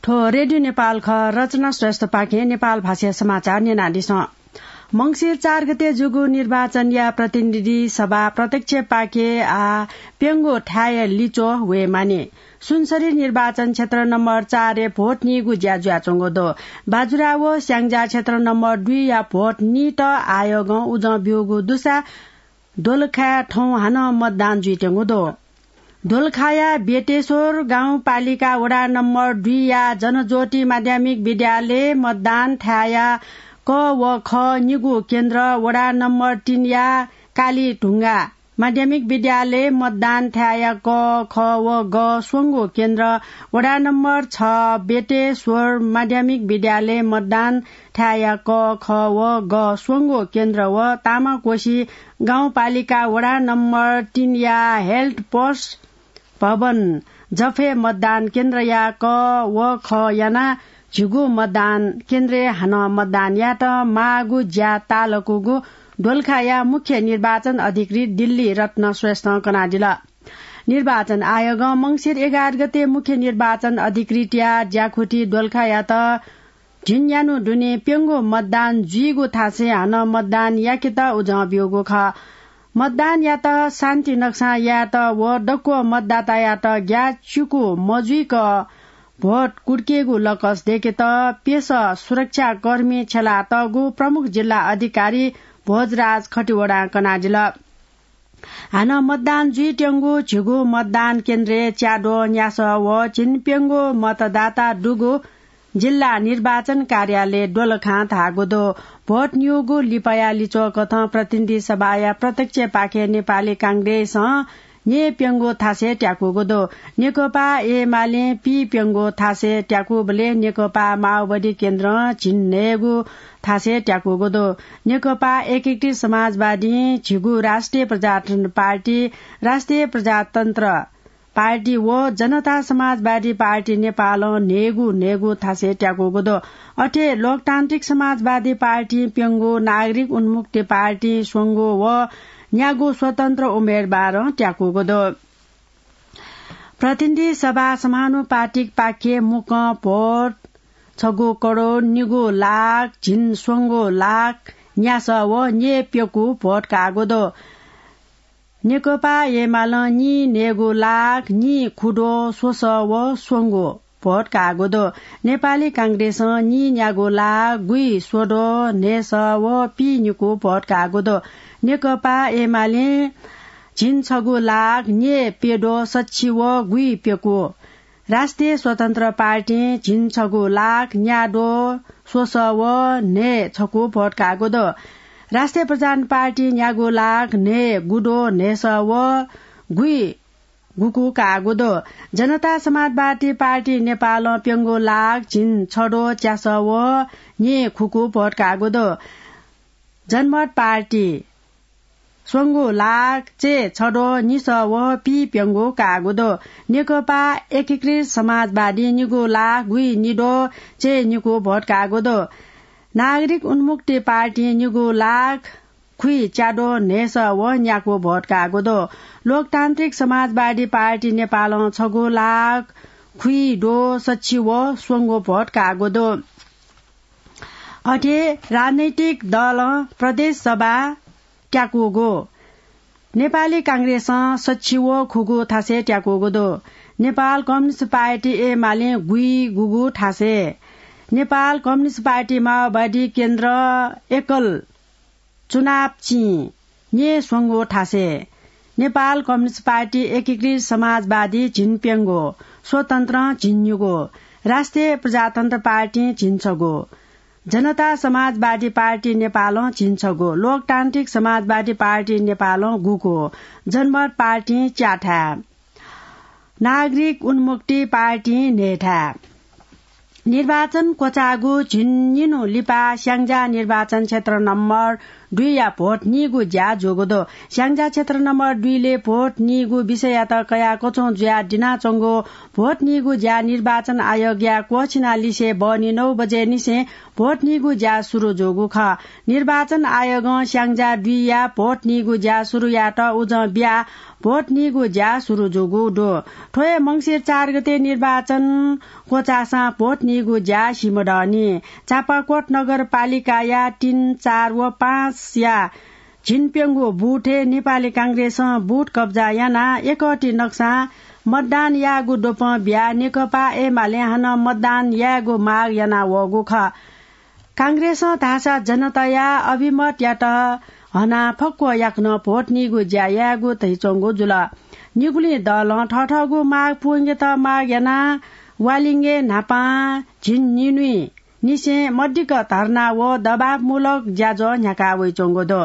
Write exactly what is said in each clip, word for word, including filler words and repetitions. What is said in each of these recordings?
थ्व रेडियो नेपाल खः। रचना श्रेष्ठपाखें नेपाल भाषाया समाचार न्यनादिसँ। मंसिर चार गते जूगु निर्वाचनया प्रतिनिधि सभा प्रत्यक्ष पाखे आः प्यंगू थाय्‌या लिच्वः वये मानि। सुनसरी निर्वाचन क्षेत्र नम्बर चारय् भोट नीगु ज्या जुयाच्वंगु दु। बाजुरा व स्याङ्जा क्षेत्र नम्बर दुईया भोट नीत आयोगं उजं ब्यूगु दुसा दोलखाय् थौं हानं मतदान जुइत्यंगु दु। दोलखाया बेटेश्वर गाउँपालिका वडा नम्बर दुईया जनज्योति माध्यमिक विद्यालय मतदान थाय्‌या क व ख निगू केन्द्र, वडा नम्बर तीनया कालीढुङ्गा माध्यमिक विद्यालय मतदान थाय्‌या क, ख व ग स्वंगू केन्द्र, वडा नम्बर छ बेटेश्वर माध्यमिक विद्यालय मतदान थाय्‌या क, ख व ग स्वंगू केन्द्र व तामाकोशी गाउँपालिका वडा नम्बर तीनया हेल्थ पोस्ट भवन जफे मतदान केन्द्रया क व ख याना झिगू मतदान केन्द्रय् हानं मतदान यायेत माःगु ज्या ताःलाकूगु दोलखाया मुख्य निर्वाचन अधिकृत दिल्ली रत्न श्रेष्ठं कनादिल। निर्वाचन आयोगं मंसिर एघार गते मुख्य निर्वाचन अधिकृतया ज्याकुथि दोलखायात झिंन्यान्हु दुने प्यंगू मतदान जुइगु थासय् हानं मतदान याकेत उजं ब्यूगु खः। मतदानयात शान्ति नक्सां यायेत व दक्व मतदातायात ग्याःचिकु मजुइक भोट कुर्केगु लकस दयेकेत प्यसः सुरक्षाकर्मी छ्यलातःगु प्रमुख जिल्ला अधिकारी भोजराज खतिवडां कनादिल। हानं मतदान जुइत्यंगु झिगू मतदान केन्द्रय् च्याद्वः न्यासः व झिंप्यंगू मतदाता दुगु जिल्ला निर्वाचन कार्यालय दोलखां धाःगु दु। भोट न्यूगु लिपाया लिच्वः कथं प्रतिनिधि सभाया प्रत्यक्ष पाखे नेपाली कांग्रेसं न्यय्‌प्यंगू थासय् त्याकूगु दु। नेकपा एमालें पीप्यंगू थासय् त्याकूबलय् नेकपा माओवादी केन्द्रं झिंन्हय्‌गू थासय् त्याकूगु दु। नेकपा एकीकृत समाजवादीं झिगू, राष्ट्रिय प्रजातन्त्र पार्टी, राष्ट्रिय प्रजातन्त्र पार्टी व जनता समाजवादी पार्टी नेपालं न्हय्‌गू न्हय्‌गू थासय् त्याकूगु दु। अथे लोकतान्त्रिक समाजवादी पार्टीं प्यंगू, नागरिक उन्मुक्ति पार्टीं स्वंगू व न्यागू स्वतन्त्र उम्मेदवारं त्याकूगु दु। प्रतिनिधि सभा समानुपातिक पाखे मुक्कं भोट छगू करोड निगू लाख झिंस्वंगू लाख न्यासः व न्यय्‌प्यकू भोट काःगु दु। नेकपा एमालं नीन्हय्‌गू लाख नीखुद्वः स्वसः व स्वंगू भोट काःगु दु। नेपाली कांग्रेसं नीन्यागू लाख गुइस्वद्वः न्हय्‌सः व पीनिकू भोट काःगु दु। नेकपा एमालें झिंछगू लाख न्यय्‌प्यद्वः सच्छि व गुइप्यकू। राष्ट्रिय स्वतन्त्र पार्टीं झिंछगू लाख न्याद्वः स्वसः व न्हय्‌छकू भोट काःगु दु। राष्ट्रिय प्रजातन्त्र पार्टीं न्यागू लाख न्हय्‌गुद्वः न्हय्‌सः व गुइगुकू काःगु दु। जनता समाजवादी पार्टी नेपालं प्यंगू लाख झिंछद्वः च्यासः व न्यय्‌खुकू भोट काःगु दु। जनमत पार्टी स्वंगू लाख चय्‌छद्वः निसः व पीप्यंगू काःगु दु। नेकपा एकीकृत समाजवादीं निगू लाख गुइनिद्वः चय्‌निकू भोट काःगु दु। नागरिक उन्मुक्ति पार्टीं निगू लाख खुइच्याद्वः न्हय्‌सः व न्याकू भोट काःगु दु। लोकतान्त्रिक समाजवादी पार्टी नेपालं छगू लाख खुइद्वः सच्छि व स्वंगू भोट काःगु दु। अथे राजनैतिक दलं प्रदेश सभा त्याकूगु। नेपाली कांग्रेसं सच्छि व खुगू थासय् त्याकूगु दु। नेपाल कम्युनिस्ट पार्टी एमालें गुइगुगू थासय्, नेपाल कम्युनिस्ट पार्टी माओवादी केन्द्र एकल चुनाव चिं न्यय्‌स्वंगू थासय्, नेपाल कम्युनिस्ट पार्टी एकीकृत समाजवादी झिंप्यंगू, स्वतन्त्रं झिंनिगू, राष्ट्रिय प्रजातन्त्र पार्टीं झिंछगू, जनता समाजवादी पार्टी नेपालं झिंछगू, लोकतान्त्रिक समाजवादी पार्टी नेपालं गुकू, जनमत पार्टीं च्याथाय्, नागरिक उन्मुक्ति पार्टीं न्हय्‌थाय्। निर्वाचन क्वचाःगु झिंनिन्हु लिपा स्याङ्जा निर्वाचन क्षेत्र नम्बर दुईया भोट नीगु ज्या जूगु दु। स्याङ्जा क्षेत्र नम्बर दुईले भोट नीगु विषययात कयाः क्वचुं जुयाः दिनाच्वंगु भोट नीगु ज्या निर्वाचन आयोगया क्वःछिनालिसे बहनी नौ बजेनिसें भोट नीगु ज्या सुरु जूगु खः। निर्वाचन आयोगं स्याङ्जा दुईया भोट नीगु ज्या सुरु यायेत उजं बियाः भोट नीगु ज्या सुरु जूगु दु। थ्व हे मंसिर चार गते निर्वाचन क्वचाःसां भोट नीगु ज्या सिमधःनि। चापाकोट नगरपालिकाया तीन, चार व पाँचया झिंप्यंगू बुथय् नेपाली कांग्रेसं बुथ कब्जा यानाः एकःति नक्सां मतदान याःगु द्वपं बियाः नेकपा एमालें हानं मतदान यायेगु माग याना वःगु खः। कांग्रेसं धाःसा जनताया अभिमतयात हनाः फक्व याकनं भोट नीगु ज्या यायेगु धयाच्वंगु जुल। निगुलिं दलं थःथःगु माग पूवंकेत माग यानाः वालिंगे न्हापां झिंनिन्हुइ निसें मदिक्क धर्ना व दबावमूलक ज्याझ्वः न्ह्याका वइच्वंगु दु।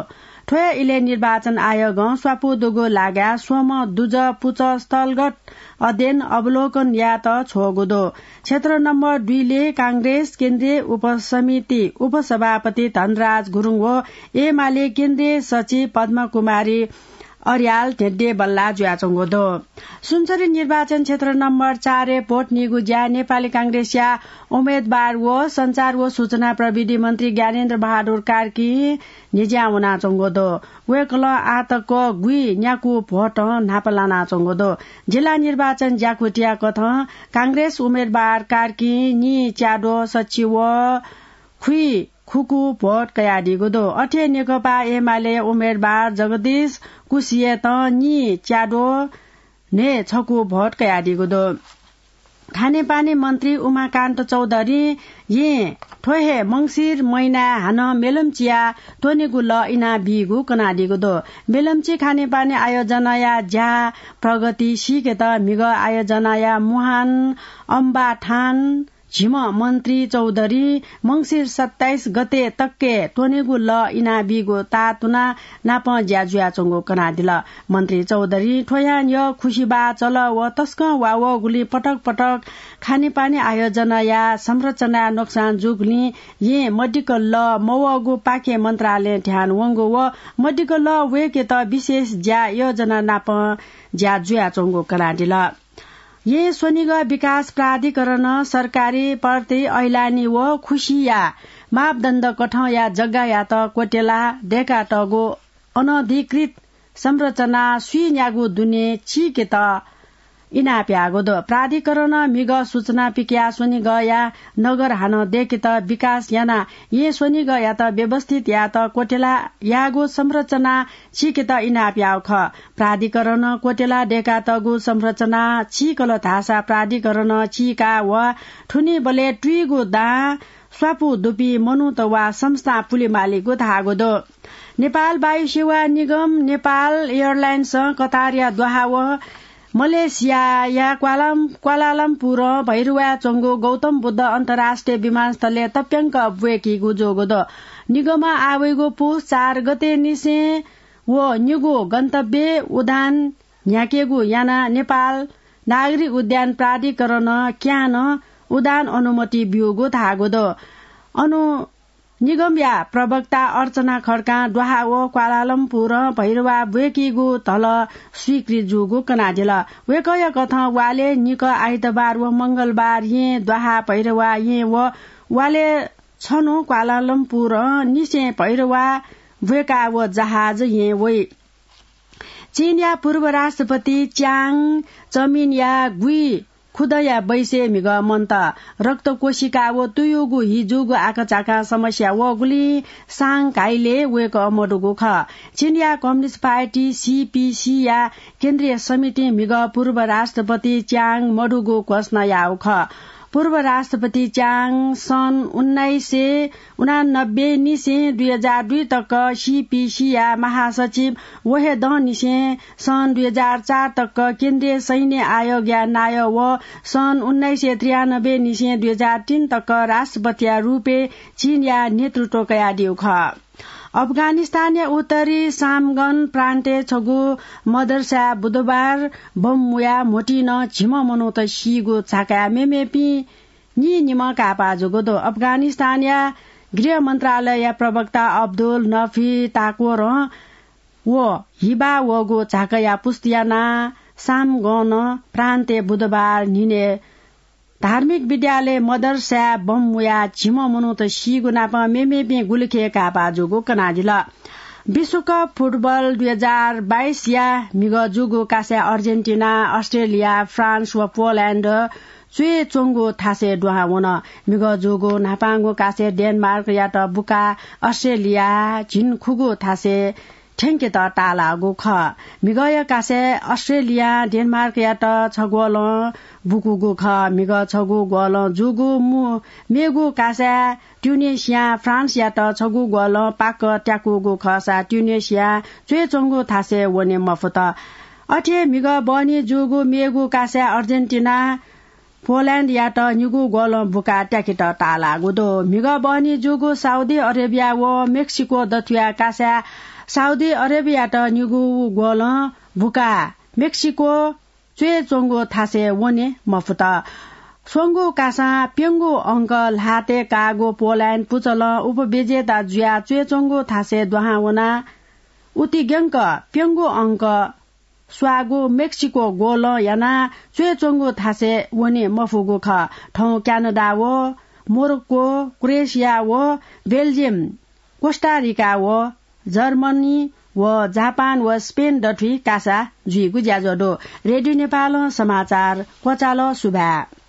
थ्व हे इलय् निर्वाचन आयोगं स्वापू दुगु लागाय् स्वम्ह दुजः पुचः स्थलगत अध्ययन अवलोकन यायेत छ्वःगु दु। क्षेत्र नम्बर दुईले कांग्रेस केन्द्रीय उपसमिति उपसभापति धनराज गुरुङ व एमाले केन्द्रीय सचिव पद्मकुमारी अर्याल धेंधेंबल्लाः जुयाच्वंगु दु। सुनसरी निर्वाचन क्षेत्र नम्बर चारय् भोट नीगु ज्या नेपाली कांग्रेसया उम्मेदवार व सञ्चार व सूचना प्रविधि मन्त्री ज्ञानेन्द्र बहादुर कार्कीं न्हिज्यां वनाच्वंगु दु। वय्कलं आःतक गुइन्याकू भोट न्हापा लानाच्वंगु दु। जिल्ला निर्वाचन ज्याकुथिया कथं कांग्रेस उम्मेदवार कार्कीं नीच्याद्वः सच्छि व खुइखुकू भोट कयादीगु दु। अथे नेकपा एमाले उम्मेदवार जगदीश कुसियतं नीच्याद्वः न्हय्छकू भोट कयादीगु दु। खानेपानी मन्त्री उमाकान्त चौधरीं यें थ्व हे मंसिर महिनाय् हानं मेलम्चिया त्वनेगु लः इनाबीगु कनादीगु दु। मेलम्ची खानेपानी आयोजनाया ज्या प्रगति सीकेत म्हिगः आयोजनाया मुहान अम्बाथान झिम्ह मन्त्री चौधरीं मंसिर सत्ताइस गते तकय् त्वनेगु लः इनाबीगु ताःतुना नापं ज्या जुयाच्वंगु कनादिल। मन्त्री चौधरीं थ्व यानाः खुसिबाः चल व तसकं वा वःगुलिं पटक पटक खानेपानी आयोजनाया संरचनाय् नोक्सान जूगुलिं यें मदिक्क लः मवःगु पाखे मन्त्रालयं ध्यान वंगु व मदिक्क लः वय्केत विशेष ज्या योजना नापं ज्या जुयाच्वंगु कनादिल। यें स्वनिगः विकास प्राधिकरणं सरकारी प्रति ऐलानी व खुसिया मापदण्ड कथंया जग्गायात क्वत्यला दय्कातःगु अनधिकृत संरचना स्वीन्यागू दुने चीकेत इनाप याःगु दु। प्राधिकरणं म्हिगः सूचना पिकयाः स्वनिगःया नगर हानं दय्केत विकास यानाः यें स्वनिगःयात व्यवस्थित यायेत क्वत्यला याःगु संरचना चीकेत इनाप याःगु खः। प्राधिकरणं क्वत्यला दय्कातःगु संरचना चीकल धाःसा प्राधिकरणं चीका व थुनीबलय् तुइगु दां स्वापू दुपिं मनूत वा संस्थां पुलेमालीगु धाःगु दु। नेपाल वायु सेवा निगम, नेपाल एयरलाइन्सं कतारया दोहा व मलेसियाया क्वालाम-, क्वालालम्पुरं भैरवाय् च्वंगु गौतम बुद्ध अन्तर्राष्ट्रिय विमानस्थलय् तप्यंक ब्वय्कीगु जूगु दु। निगमं आः वइगु पुस चार गते निसें व निगू गन्तव्यय् उडान न्ह्याकेगु यानाः नेपाल नागरिक उड्डयन प्राधिकरणं क्यानं उडान अनुमति ब्यूगु धाःगु दु। अनु निगमया प्रवक्ता अर्चना खड्कां दोहा व क्वालालम्पुरं भैरवाय् ब्वय्कीगु धलः स्वीकृत जूगु कनादिल। वय्कःया कथं वालय् निकः आइतबार व मंगलबार यें दोहा भैरवाय् यें व वालय् छन्हु क्वालालम्पुरं निसें भैरवाय् ब्वय्का व जहाज यें वइ। चीनया पूर्व राष्ट्रपति च्याङ चमिनया गुइ खुदँया बैसय् म्हिगः मन्त। रक्त कोशिका व तुयुगु हि जूगु आकाझाकां समस्या वःगुलिं साङ्घाईलय् वय्कः मदुगु खः। चीनया कम्युनिस्ट पार्टी सीपीसीया केन्द्रीय समितिं म्हिगः पूर्व राष्ट्रपति च्याङ मदुगु घोषणा याःगु खः। पूर्व राष्ट्रपति च्याङ सन् उन्नाइस सय उनानब्बे निसें दुई हजार दुई तक सीपीसीया महासचिव व हे दँ निसें सन् दुई हजार चार तक केन्द्रीय सैन्य आयोगया नायः व सन् उन्नाइस सय त्रियानब्बे निसें दुई हजार तीन तक राष्ट्रपतिया रूपय् चीनया नेतृत्व कयादीगु खः। अफगानिस्तानया उत्तरी सामगन प्रान्तय् छगू मदरसाय् बुधबार बम मुयाः म्होतिं नं झिम्ह मनूत सीगु झाकाय् मेमेपिं नीनिम्ह काय्पा जूगु दु। अफगानिस्तानया गृह मन्त्रालयया प्रवक्ता अब्दुल नफी ताकोरं व हिबा वःगु झाकाया पुष्टि यानाः सामगन प्रान्तय् बुधबार न्हिनय् धार्मिक विद्यालय मदरसाय् बम मुयाः झिम्ह मनूत सीगु नाप मेमेपिं गुलिखे काय्पा जूगु कनादिल। विश्वकप फुटबल दुई हजार बाइसया म्हिगः जूगु कासाय् अर्जेन्टिना, अस्ट्रेलिया, फ्रान्स व पोल्याण्ड च्वय् च्वंगु थासय् दुहां वन। म्हिगः जूगु न्हापांगु कासाय् डेनमार्कयात बुकाः अस्ट्रेलिया झिंखुगू थासय् थ्यंकेत ताःलाःगु खः। म्हिगःया कासाय् अस्ट्रेलियां डेनमार्कयात छगू गोलं बुकूगु खः। म्हिगः छगू गोलं जूगु मु-, मेगु कासाय् ट्युनेसियां फ्रान्सयात छगू गोलं पाक त्याकूगु खःसा ट्युनेसिया च्वय् च्वंगु थासय् वने मफुत। अथे म्हिगः बहनी जूगु मेगु कासाय् अर्जेन्टिना पोल्याण्डयात निगू गोलं बुकाः त्याकेत ताःलाःगु दु। म्हिगः बहनी जूगु साउदी अरेबिया व मेक्सिको दथुया कासाय् साउदी अरेबियात निगू गोलं बुकाः मेक्सिको च्वय् च्वंगु थासय् वने मफुत। स्वंगू कासां प्यंगू अंक ल्हातय् काःगु पोल्याण्ड पुचलं उपविजेता जुयाः च्वय् च्वंगु थासय् दुहां वनाः उतिग्यंक प्यंगू अंक स्वाःगु मेक्सिको गोलं यानाः च्वय् च्वंगु थासय् वने मफुगु खः। थौं क्यानाडा व मोरोक्को, क्रोएसिया व बेल्जियम, कोस्टारिका व जर्मनी व जापान व स्पेन दथुइ कासा जुइगु ज्याझ्वः दु। रेडियो नेपालं समाचार क्वचाल। सुभाय्।